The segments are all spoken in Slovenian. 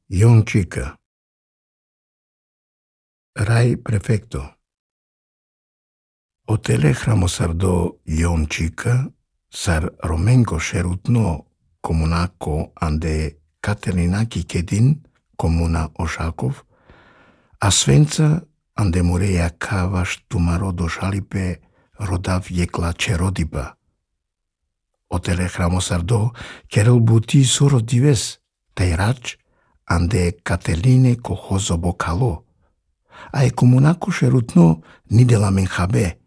Ion Cică. Rai prefecto. Otele hramosardo Ion Cică, sar Romengo Sherutno comunaco ande Catelinaki Kedin, comuna Oshakov, Asvența ande Mureia Kavash Tumaro Doshalipe rodav Yekla Cherodiba. Otele hramosardo Kerel Buti Soro Dives, Teirac ande Cateline Cohozo Bocalo. Ai comunaco Sherutno ni de la Menjabe,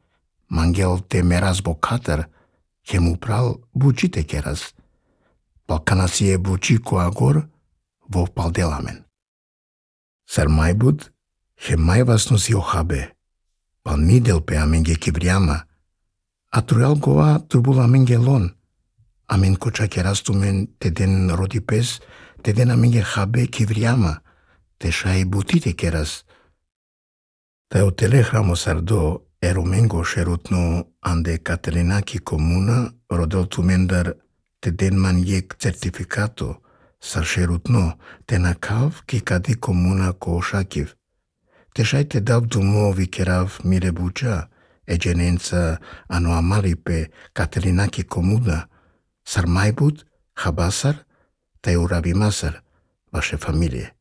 Mangel te meras bocater, Chemupral bucite keras. Balcanasie bucico agor, vo paldelamen. Sar maibud, he maivas nos iohabe, pal nidel pe amenge kibriama, atruel goa turbul amenge lon, amen cocha keras tumen te den rodipes, te den amenge habe kivriama, te shai butite keras. Ta otele hramosardo Erumengo Sherutno ande Catelinaki comuna rodel tumendar te den maniec certificato sar Sherutno te nakav ki kadi comuna co Oshakiv. Te shai te dav dumo vikerav mire bucea egenența anuamali pe Catelinaki comuna sar maibut habasar te urabimasar vaše familie.